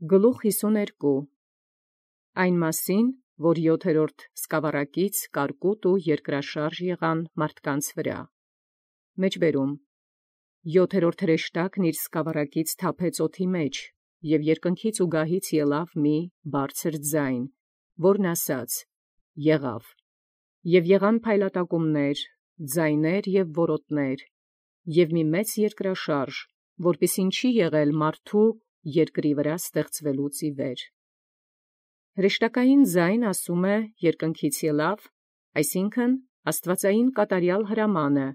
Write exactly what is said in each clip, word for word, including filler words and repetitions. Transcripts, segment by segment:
Գլուխ հիսուներկու Այն մասին, որ յոթերորդ սկավառակից կարկուտ ու երկրաշարժ եղան մարդկանց վրա։ Մեջբերում յոթերորդ հրեշտակն իր սկավառակից թափեց օդի մեջ, և երկնքից ու գահից ելավ մի բարձր ձայն, որն ասաց. եղավ. և եղան փայլատակումներ, ձայներ և որոտներ, և մի մեծ երկրաշարժ, որպիսին չի եղել մարդու երկրի վրա ստեղծվելուց ի վեր։ Հրեշտակային ձայն ասում է երկնքից ելավ, այսինքն աստվածային կատարյալ հրամանը,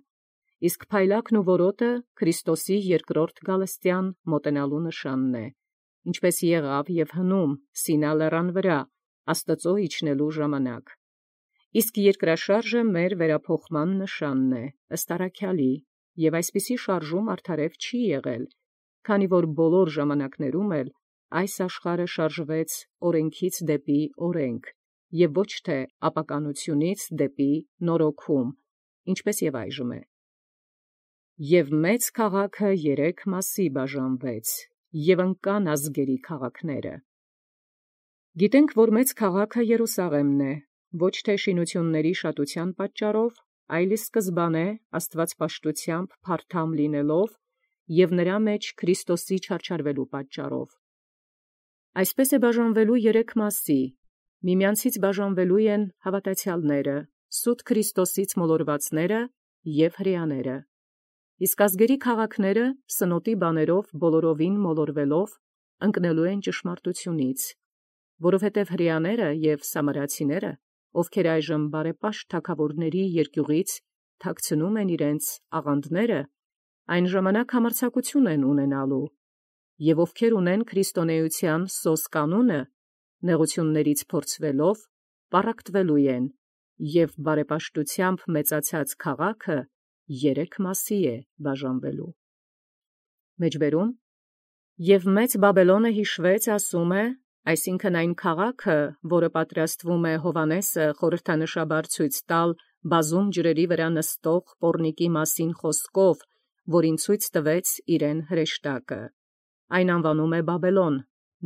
իսկ փայլակն ու որոտը Քրիստոսի երկրորդ գալստեան մոտենալու նշանն է, ինչպես եղավ և հնում Սինա լեռան վրա Աստծու իջնելու ժամանակ։ Իսկ երկրաշարժը մեր վերափոխման նշանն է, ըստ առաքյալի, և այսպիսի շարժում արդարև չի եղել, քանի որ բոլոր ժամանակներում էլ այս աշխարհը շարժվեց օրենքից դեպի օրենք, և ոչ թե ապականությունից դեպի նորոգում, ինչպես և այժմ է։ Եւ մեծ քաղաքը երեք մասի բաժանվեց, և ընկան ազգերի քաղաքները։ Գիտենք, որ մեծ քաղաքը Երուսաղեմն է, ոչ թե շինությունների շատության պատճառով, այլ ի սկզբանե աստվածպաշտությամբ փարթամ լինելով և նրա մեջ Քրիստոսի չարչարվելու պատճառով։ Այսպես է բաժանվելու երեք մասի. միմյանցից բաժանվելու են հավատացյալները, սուտ Քրիստոսից մոլորվածները և հրեաները։ Իսկ ազգերի քաղաքները սնոտի բաներով բոլորովին մոլորվելով ընկնելու են ճշմարտությունից, որովհետև հրեաները և սամարացիները, ովքեր այժմ բարեպաշտ թագաւորաց երկիւղից թաքցնում են իրենց աղանդները, այն ժամանակ համարձակություն են ունենալու, և ովքեր ունեն քրիստոնեության սոսկ անունը, նեղութիւններից փորձվելով, պառակտվելու են, և բարեպաշտութեամբ մեծացած քաղաքը երեք մասի է բաժանվելու։ Մեջբերում Եւ մեծ Բաբելոնը յիշուեց, ասում է, այսինքն այն քաղաքը, որը պատրաստվում է Հովհաննեսը խորհրդանշաբար ցույց տալ բազում ջրերի վրա նստող պոռնիկի մասին խոսքով, որին ցույց տվեց իրեն հրեշտակը. այն անվանում է Բաբելոն,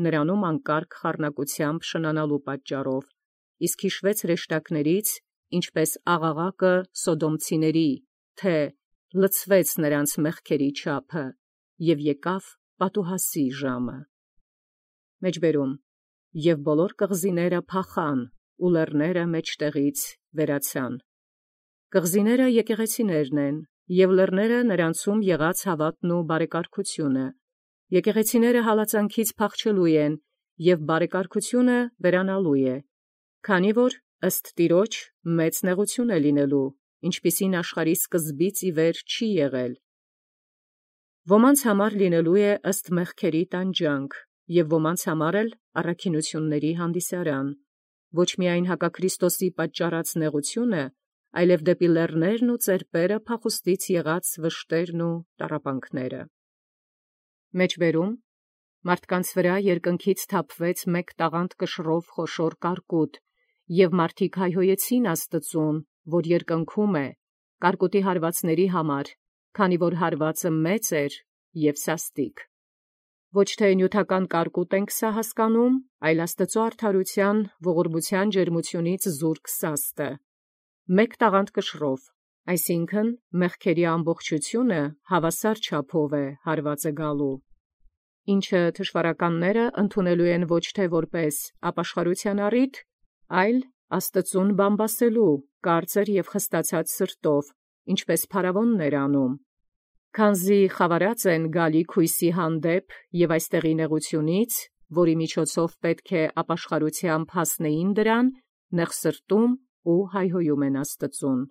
նրանում անկարգ խառնակությամբ շնանալու պատճառով, իսկ յիշվեց հրեշտակներից, ինչպես աղաղակը սոդոմցիների, թե լցվեց նրանց մեղքերի չափը, և եկավ պատուհասի ժամը։ Մեջբերում Եւ բոլոր կղզիները փախան, ու լեռները մեջտեղից վերացան։ Կղզիները եկեղեցիներն են, և լեռները նրանցում եղած հաւատն ու բարեկարգությունը։ Եկեղեցիները հալածանքից փախչելու են, և բարեկարգությունը վերանալու է, քանի որ ըստ Տեառն մեծ նեղութիւն է լինելու, ինչպիսին աշխարհի սկզբից ի վեր չի եղել։ Ոմանց համար լինելու է ըստ մեղքերի տանջանք, և ոմանց համար էլ առաքինութիւնների հանդիսարան, ոչ միայն հակաքրիստոսի պատճառած նեղութիւնը, այլև դեպի լեռներն ու ծերպերը փախուստից եղած վշտերն ու տառապանքները։ Մեջբերում մարդկանց վրա երկնքից թափվեց մեկ տաղանդ կշռով խոշոր կարկուտ, և մարդիկ հայհոյեցին Աստծուն, որ երկնքում է, կարկուտի հարվածների համար, քանի որ հարվածը մեծ էր և սաստիկ։ Ոչ թե նիւթական կարկուտ ենք սա հասկանում, այլ Աստուծոյ արդարութեան ողորմութեան ջերմութիւնից զուրկ սաստը։ Մեկ տաղանդ կշռով, այսինքն մեղքերի ամբողջութիւնը հաւասար չափով է հարվածը գալու, ինչը թշուառականները ընդունելու են ոչ թե որպէս ապաշխարութեան առիթ, այլ Աստծուն բամբասելու կարծր և խստացած սրտով, ինչպես փարավոններ անում, քանզի խավարած են գալիք յույսի հանդեպ և այստեղի նեղութիւնից, որի միջոցով պետք է ապաշխարութեամբ հասնեին դրան, նեղ սրտում ու հայհոյում են Աստծուն։